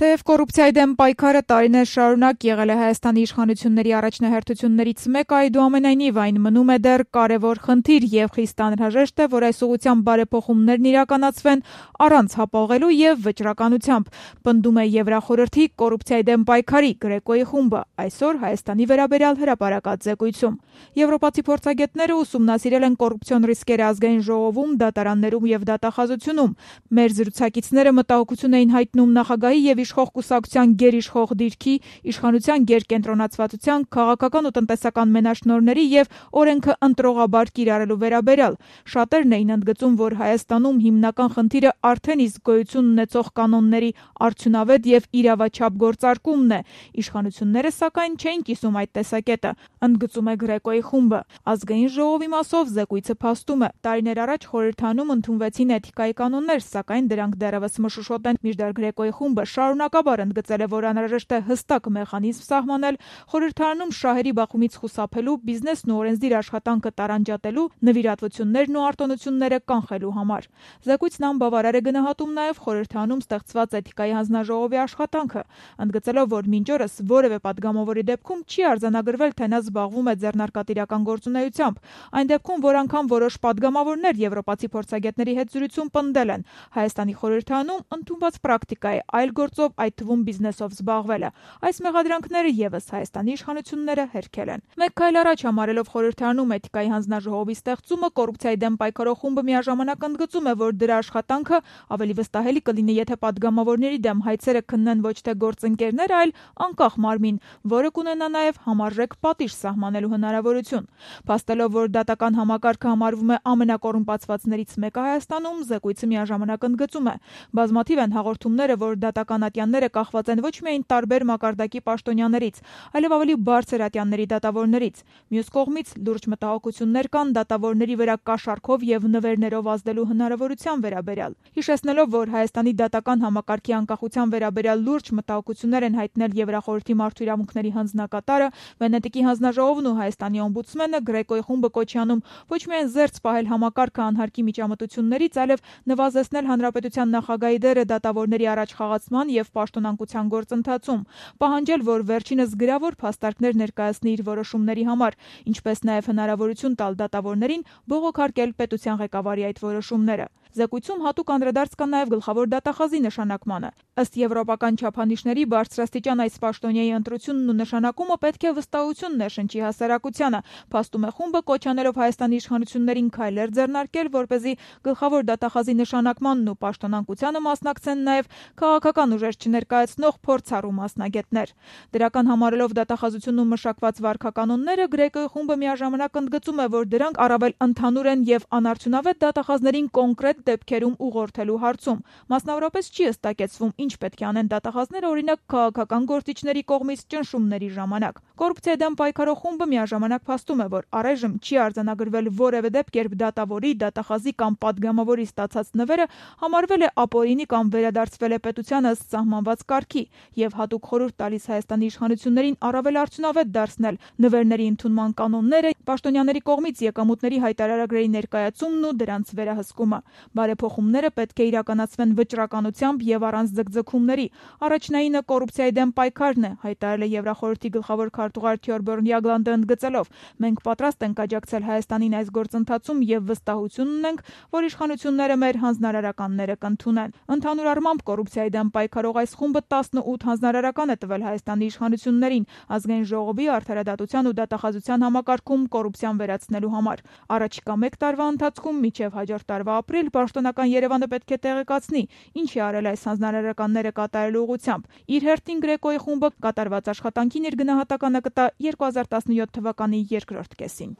Թեև կոռուպցիայի դեմ պայքարը տարիներ շարունակ եղել է Հայաստանի իշխանությունների առաջնահերթություններից մեկը, այդուամենայնիվ այն մնում է դեռ կարևոր խնդիր եւ խիստ անհրաժեշտ է, որ այս ուղղությամբ բարեփոխումներն իրականացվեն առանց հապաղելու եւ վճռականությամբ, պնդում է Եվրախորհրդի կոռուպցիայի դեմ պայքարի Գրեկոյի խումբը այսօր Հայաստանի վերաբերյալ հրապարակած զեկույցում։ Եվրոպացի փորձագետները ուսումնասիրել են կոռուպցիոն ռիսկերը ազգային ժողովում, դատարաններում եւ դատախազությունում։ Մեր զրուցակիցները մտահոգություն էին հայտնում նախագահի եւ իշխող կուսակցության գերիշխող դիրքի, իշխանության գերկենտրոնացվածության, քաղաքական ու տնտեսական մենաշնորհների եւ օրենքը ընտրողաբար կիրառելու վերաբերյալ։ Շատերն էին ընդգծում, որ Հայաստանում հիմնական խնդիրը արդեն իսկ գոյություն ունեցող կանոնների արդյունավետ եւ իրավաչափ գործարկումն է։ Իշխանությունները սակայն չէին կիսում այդ տեսակետը, ընդգծում է Գրեկոյի խումբը։ Ազգային ժողովի մասով զեկույցը փաստում է. տարիներ առաջ խորհրդանում ընդունվեցին էթիկայի կանոններ, սակայն դրանք դեռևս մշուշոտ են։ Մինչդեռ Գրեկոյի խումբը շարունակաբար ընդգծել է, որ անհրաժեշտ է հստակ մեխանիզմ սահմանել խորհրդարանում շահերի բախումից խուսափելու, բիզնեսն ու օրենսդիր աշխատանքը տարանջատելու, նվիրատվություններն ու արտոնությունները կանխելու համար։ Զեկույցն անբավարար է գնահատում նաև խորհրդարանում ստեղծված էթիկայի հանձնաժողովի աշխատանքը, ընդգծելով, որ մինչ օրս որևէ падգամավորի դեպքում չի արձանագրվել, թե նա զբաղվում է ձեռնարկատիրական գործունեությամբ։ Այն դեպքում, որ անգամ որոշ падգամավորներ եվրոպացի փորձագետների հետ զրույցում պնդել են, Հայաստանի խորհրդարանում ընդունված պրակտիկա է այլ գործով, այդ թվում բիզնեսով զբաղվելը։ Այս մեղադրանքները եւս Հայաստանի իշխանությունները հերքել են։ Մեկ քայլ առաջ համարելով խորհրդարանում էթիկայի հանձնաժողովի ստեղծումը, կոռուպցիայի դեմ պայքարող խումբը միաժամանակ ընդգծում է, որ դրա աշխատանքը ավելի վստահելի կլինի, եթե падգամավորների դեմ հայցերը քննեն ոչ թե գործընկերներ, այլ անկախ մարմին, որը կունենա նաև համարժեք պատիժ սահմանելու հնարավորություն։ Փաստելով, որ դատական համակարգը համարվում է ամենակոռումպացվածներից մեկը Հայաստանում, զեկույցը միաժամանակ ընդգծում է. բազմաթիվ են հաղորդումները, որ դատական ատյանները կախված են ոչ միայն տարբեր մակարդակի պաշտոնյաներից, այլև ավելի բարձր ատյանների դատավորներից։ Մյուս կողմից լուրջ մտահոգություններ կան դատավորների վրա կաշառքով եւ նվերներով ազդելու հնարավորության վերաբերյալ։ Հիշեցնելով, որ Հայաստանի դատական համակարգի անկախության վերաբերյալ լուրջ մտահոգություններ են հայտնել Եվրախորհրդի մարդու իրավունքների հանձնակատարը, Վենետիկի հանձնաժողովն ու Հայաստանի օմբուդսմենը, Գրեկոյի խումբը կոչ է անում ոչ միայն զերծ պահել համակարգը անհարկի միջամտություններից, այլև նվազեցնել հանրապետության նախագահի դերը դատավորների առաջ խաղացման եւ պաշտոնանկության գործընթացում, պահանջել, որ վերջինս գրավոր փաստարկներ ներկայացնի իր որոշումների համար, ինչպես նաեւ հնարավորություն տալ դատավորներին բողոքարկել պետության ղեկավարի այդ որոշումները։ Զեկույցում հատուկ անդրադարձ կա նաև գլխավոր դատախազի նշանակմանը։ Ըստ եվրոպական չափանիշների բարձրաստիճան այս պաշտոնյայի ընտրությունն ու նշանակումը պետք է վստահություն ներշնչի հասարակությանը, փաստում է խումբը, կոչ անելով Հայաստանի իշխանություններին քայլեր ձեռնարկել, որպեսզի գլխավոր դատախազի նշանակմանն ու պաշտոնանկությանը մասնակցեն նաև քաղաքական ուժեր չներկայացնող փորձառու մասնագետներ։ Դրական համարելով դատախազությունում մշակված վարքականոնները, Գրեկոյի խումբը միաժամանակ ընդգծում է, որ դրանք առավել ընդհանուր են եւ անարդյունավետ դատախազներին կոնկրետ դեպքերում ուղղորդելու հարցում։ Մասնավորապես չի հստակեցվում, ինչ պետք է անեն դատախազները, օրինակ քաղաքական գործիչների կողմից ճնշումների ժամանակ։ Կոռուպցիայի դեմ պայքարող խումբը միաժամանակ փաստում է, որ առայժմ չի արձանագրվել որևէ դեպք, երբ դատավորի, դատախազի կամ падգամավորի ստացած նվերը համարվել է ապօրինի կամ վերադարձվել է պետության ըստ սահմանված կարգի, եւ հատուկ խորհուրդ տալիս Հայաստանի իշխանություններին առավել արդյունավետ դարձնել նվերների ընդունման կանոնները, պաշտոնյաների կողմից եկամուտների հայտարարագրերի ներկայացումն ու դրանց վերահսկումը։ Բարեփոխումները պետք է իրականացվեն վճռականությամբ եւ առանց ձգձգումների։ Առաջնայինը կոռուպցիայի դեմ պայքարն է, հայտարարել է Եվրախորհրդի գլխավոր քարտուղար Թյորբյորն Յագլանդը ընդգծելով. մենք պատրաստ ենք աջակցել Հայաստանին այս գործընթացում եւ վստահություն ունենք, որ իշխանությունները մեր հանձնարարականները կընդունեն։ Ընդհանուր առմամբ կոռուպցիայի դեմ պայքարող այս խումբը 18 հանձնարարական է տվել Հայաստանի իշխանություններին ազգային ժողովի արդարադատության ու դատախազության համակարգում կոռուպցիան վերացնելու համար։ Առաջիկա 1 տարվա ընթացքում մինչև հաջորդ տարվա ապրիլ պաշտոնական Երևանը պետք է տեղեկացնի, ինչ է արել այս հանձնարարականները կատարելու ուղղությամբ։ Իր հերթին Գրեկոյի խումբը կատարված աշխատանքին իր գնահատականը կտա 2017 թվականի երկրորդ կեսին։